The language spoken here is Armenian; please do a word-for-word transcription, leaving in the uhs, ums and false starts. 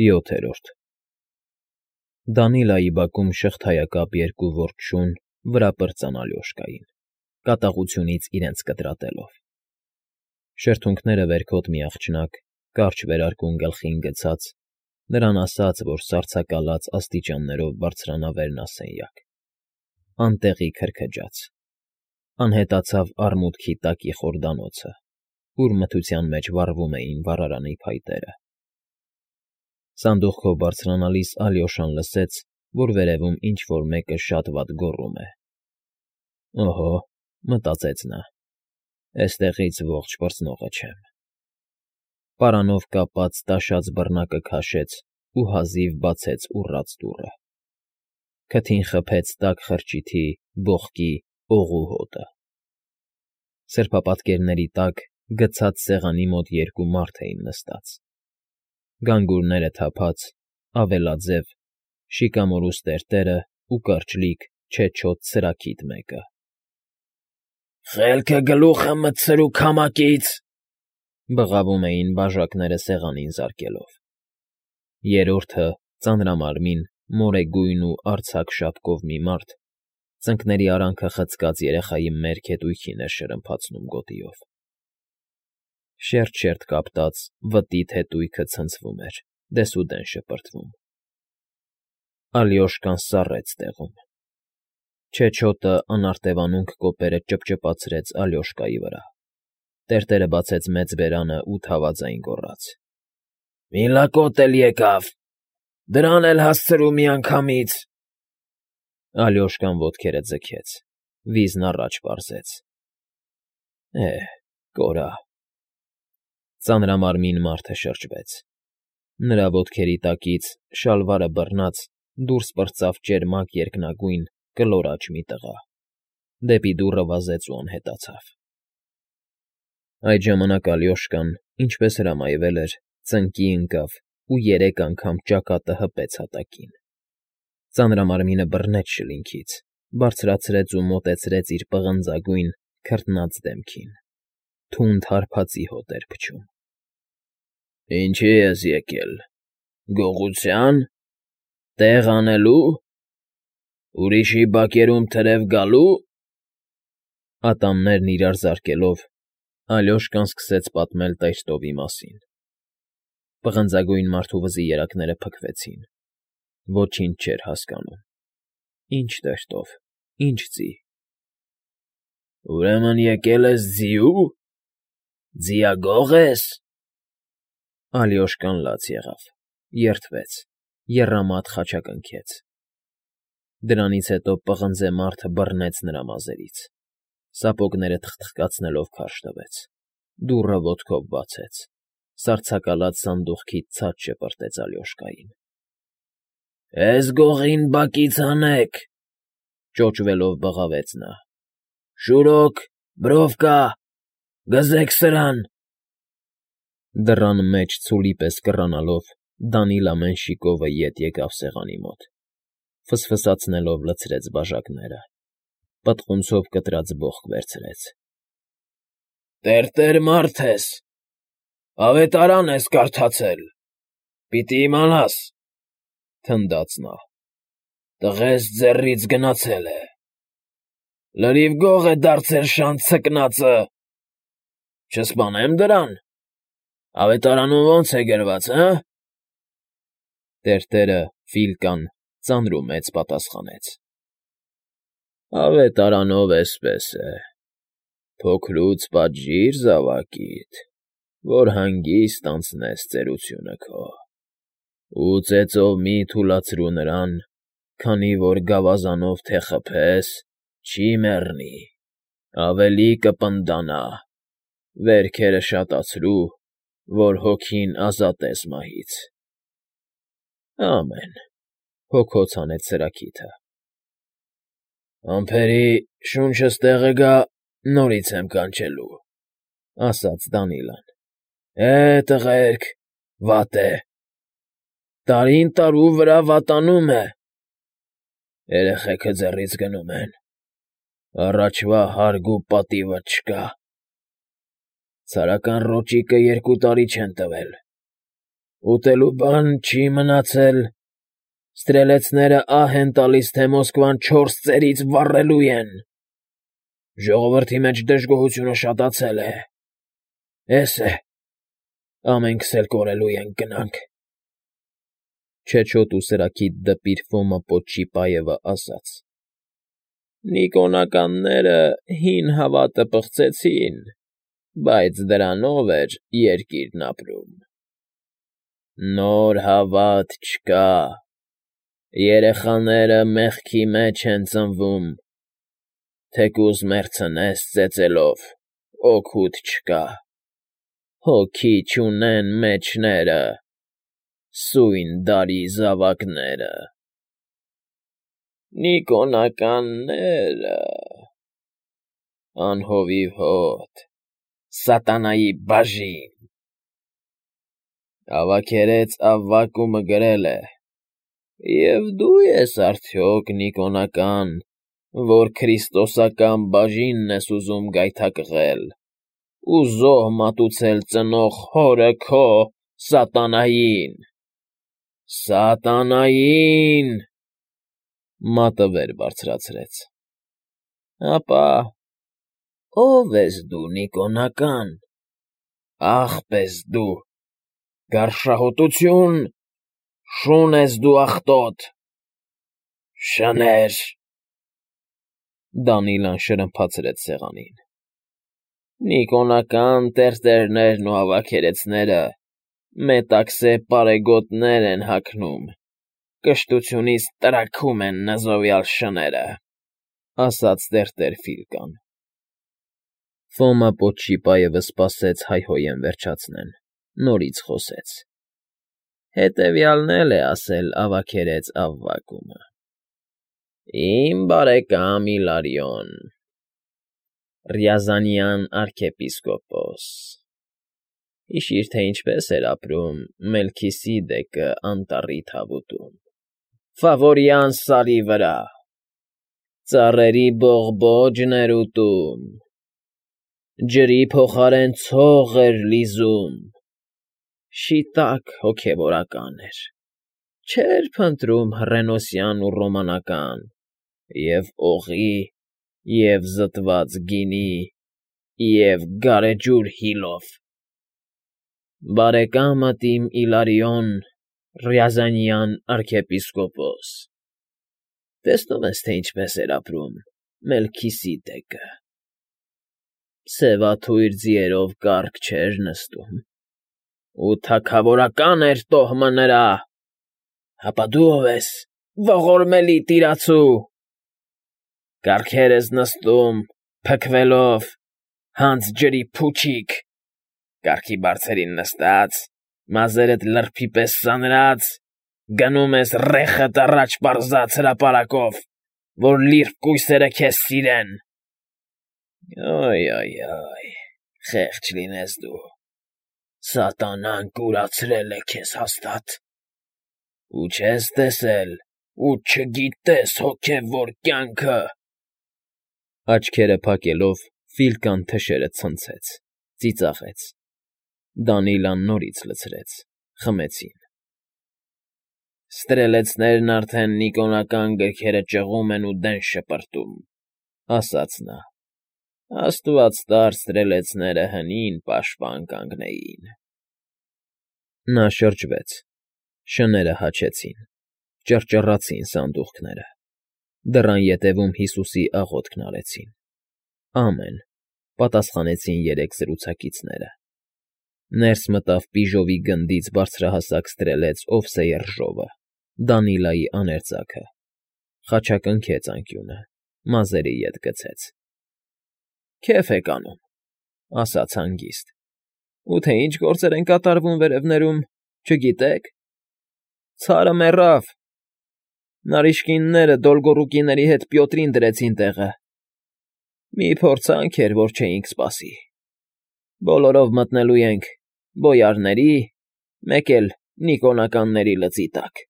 ՅՈԹԵՐՈՐԴ Դանիլայի բակում շղթայակապ երկու որբ շուն վրա պրծան Ալյոշկային, կատաղությունից իրենց կտրատելով. շրթունքները վերքոտ մի աղջնակ, կարճ վերարկուն գլխին գցած, նրան ասաց, որ սառցակալած աստիճաններով բարձրանա վերնասենյակ, անտեղի քրքջաց, անհետացավ արմուտքի տակի խորդանոցը, ուր մթության մեջ վառվում էին վառարանի փայտերը. Սանդուղքով բարձրանալիս Ալյոշան լսեց, որ վերևում ինչ֊որ մեկը շատ վատ գոռում է։ «Օհո,֊ մտածեց նա,֊ էստեղից ողջ պրծնողը չեմ»։ Պարանով կապած տաշած բռնակը քաշեց ու հազիվ բացեց ուռած դուռը։ Քթին խփեց տաք խրճիթի, բոխկի, օղու հոտը։ Սրբապատկերների տակ գցած սեղանի մոտ երկու մարդ էին նստած, գանգուրները թափած, ավելաձև, շիկամորուս տերտերն ու կարճլիկ, չեչոտ սրաքիթ մեկը։ ֊ Խելքը գլուխը մտցրու քամակից,֊ բղավում էին բաժակները սեղանին զարկելով։ Երրորդը, ծանրամարմին, մորեգույն ու արձակ շապկով մի մարդ, ծնկների արանքը խցկած երեխայի մերկ հետույքին էր շրմփացնում գոտիով։ Շերտ֊շերտ կապտած, վտիթ հետույքը ցնցվում էր, դեսուդեն շպրտվում։ Ալյոշկան սառեց տեղում։ Չեչոտը անարտևանունք կոպերը ճպճպացրեց Ալյոշկայի վրա, տերտերը բացեց մեծ բերանն ու թավաձայն գոռաց. ֊ Մի լակոտ էլ եկավ, դրան էլ հասցրու միանգամից… Ալյոշկան ոտքերը ձգեց, վիզն առաջ պարզեց. «Է՜հ, կորա…»։ Ծանրամարմին մարդը շրջվեց։ Նրա ոտքերի տակից, շալվարը բռնած, դուրս պրծավ ճերմակ երկնագույն, կլորաճ մի տղա, դեպի դուռը վազեց ու անհետացավ։ Այդ ժամանակ Ալյոշկան, ինչպես հրամայվել էր, ծնկի ընկավ ու երեք անգամ ճակատը հպեց հատակին։ Ծանրամարմինը բռնեց շլինքից, բարձրացրեց ու մոտեցրեց իր պղնձագույն, քրտնած դեմքին, թունդ հարբածի հոտ էր փչում։ ֊ Ինչի՞ ես եկել, գողությա՞ն, տեղ անելու, ուրիշի բակերում թրև գալո՞ւ… Ատամներն իրար զարկելով՝ Ալյոշկան սկսեց պատմել Տեր֊֊տովի մասին։ Պղնձագույն մարդու վզի երակները փքվեցին, ոչինչ չէր հասկանում. ինչ Տեր֊֊տով, ինչ ձի… ֊ Ուրեմն եկել ես ձի՞ու… ձիագող ես… Ալյոշկան լաց եղավ, երդվեց, եռամատ խաչակնքեց։ Դրանից հետո պղնձե մարդը բռնեց նրա մազերից, սապոգները թխթխկացնելով քարշ տվեց, դուռը ոտքով բացեց, սառցակալած սանդուղքից ցած շպրտեց Ալյոշկային։ ֊ Էս գողին բակից հանեք,֊ ճոճվելով բղավեց նա։֊ Շուրոք, Բրովկա, գզեք սրան… Դռան մեջ ցուլի պես կռանալով՝ Դանիլ ամեն շիկովը ետ եկավ սեղանի մոտ, ֆսֆսացնելով լցրեց բաժակները, պտղունցով կտրած բոխկ վերցրեց։ ֊ Տերտեր մարդ ես, ավետարան ես կարդացել, պիտի իմանաս,֊ թնդաց նա։֊ Տղես ձեռքից գնացել է, լրիվ գող է դարձել շան ցկնածը… Չսպանե՞մ դրան, ավետարանում ո՞նց է գրված, հը… Տերտերը, Ֆիլկան, ծանր ու մեծ պատասխանեց. ֊ Ավետարանով էսպես է. փոքրուց պատժիր զավակիդ, որ հանգիստ անցնես ծերությունը քո, ու ծեծով մի՛ թուլացրու նրան, քանի որ գավազանով թե խփես, չի մեռնի, ավելի կպնդանա, վերքերը շատացրու, որ հոգին ազատես մահից… Ամեն,֊ հոգոց հանեց սրաքիթը։ ֊ Ամփերի շունչս տեղը գա, նորից եմ կանչելու,֊ ասաց Դանիլան։ ֊ Է՜, տղերք, վատ է… տարին տարու վրա վատանում է… Երեխեքը ձեռից գնում են, առաջվա հարգ ու պատիվը չկա… Ցարական ռոճիկը երկու տարի չեն տվել, Ուտելու բան չի մնացել, ստրելեցները ահ են տալիս, թե Մոսկվան չորս ծերից վառելու են, ժողովրդի մեջ դժգոհությունը շատացել է, էս է, ամենքս էլ կորելու ենք գնանք։ Չեչոտ ու սրաքիթ դպիր Ֆոմա Պոչիպայևը ասաց. Նիկոնականները հին հավատը պղծեցին, բայց դրանով էր երկիրն ապրում։ Նոր հավատ չկա, երեխաները մեղքի մեջ են ծնվում, թեկուզ մեռցնես ծեծելով, օգուտ չկա, հոգի չունեն մեջները, սույն դարի զավակները։ Նիկոնականները… անհովիվ հոտ, սատանայի բաժին… Ավագերեց Ավվակումը գրել է. և դու ես արդյոք Նիկոնական, որ քրիստոսական բաժինն ես ուզում գայթակղել ու զոհ մատուցել ծնող հորը քո՝ սատանային… Սատանայի՜ն… Մատը վեր բարձրացրեց։ Ապա ո՞վ ես դու, Նիկոնական, աղբ ես դու, գարշահոտությո՞ւն, շուն ես դու աղտոտ, շներ… Դանիլան շրմփացրեց սեղանին։ Նիկոնական տերտերներն ու ավագերեցները մետաքսե պարեգոտներ են հագնում, կշտությունից տրաքում են նզովյալ շները, ասաց տերտեր Ֆիլկան։ Ֆոմա Պոչիպայևը սպասեց հայհոյեն վերջացնեն, նորից խոսեց. Հետևյալն էլ է ասել ավագերեց Ավվակումը. Իմ բարեկամ Իլարիոն, Ռյազանյան արքեպիսկոպոս, հիշիր, թե ինչպես էր ապրում Մելքիսիդեկը անտառի թավուտում, Ֆավորյան սարի վրա, ծառերի բողբոջն էր ուտում, ջրի փոխարեն ցող էր լիզում, շիտակ հոգևորական էր, չէր փնտրում հռենոսյան ու ռոմանական, և օղի, և զտված գինի, և գարեջուր հիլով։ Բարեկամդ իմ Իլարիոն, Ռյազանյան արքեպիսկոպոս, տեսնում ես, թե ինչպես էր ապրում Մելքիսիդեկը. սևաթույր ձիերով կառք չէր նստում, ու թագավորական էր տոհմը նրա, հապա դու ո՞վ ես, ողորմելի տիրացու, կառքեր ես նստում, փքվելով, հանց ջրի փուչիկ, կառքի բարձերին նստած, մազերդ լրբի պես սանրած, գնում ես ռեխդ առաջ պարզած հրապարակով, որ լիրբ կույսերը քեզ սիրեն… Օյ֊օյ֊օյ, խեղճ լինես դու, սատանան կուրացրել է քեզ հաստատ, ու չես տեսել, ու չգիտես հոգևոր կյանքը… Աչքերը փակելով Ֆիլկան թշերը ցնցեց, ծիծաղեց, Դանիլան նորից լցրեց, խմեցին։ Ստրելեցներն արդեն նիկոնական գրքերը ճղում են ու դեն շպրտում, ասաց նա, աստված տար ստրելեցները հնին պաշտպան կանգնեին… Նա շրջվեց, շները հաչեցին, ճռճռացին սանդուղքները, դռան ետևում Հիսուսի աղոթքն արեցին, ամեն, պատասխանեցին երեք զրուցակիցները։ Ներս մտավ Պիժովի գնդից բարձրահասակ ստրելեց Օվսեյեռժովը, Դանիլայի աներձակը, խաչակնքեց անկյունը, մազերի ետ գցեց։ Քեֆ եք անում, ասաց հանգիստ, ու թե ինչ գործեր են կատարվում վերևներում, չգիտե՞ք… Ցարը մեռավ, նարիշկինները Դոլգոռուկիների հետ Պյոտրին դրեցին տեղը, մի փորձանք էր, որ չէինք սպասի… Բոլորով մտնելու ենք Բոյարների, մեկ էլ Նիկոնականների լծի տակ։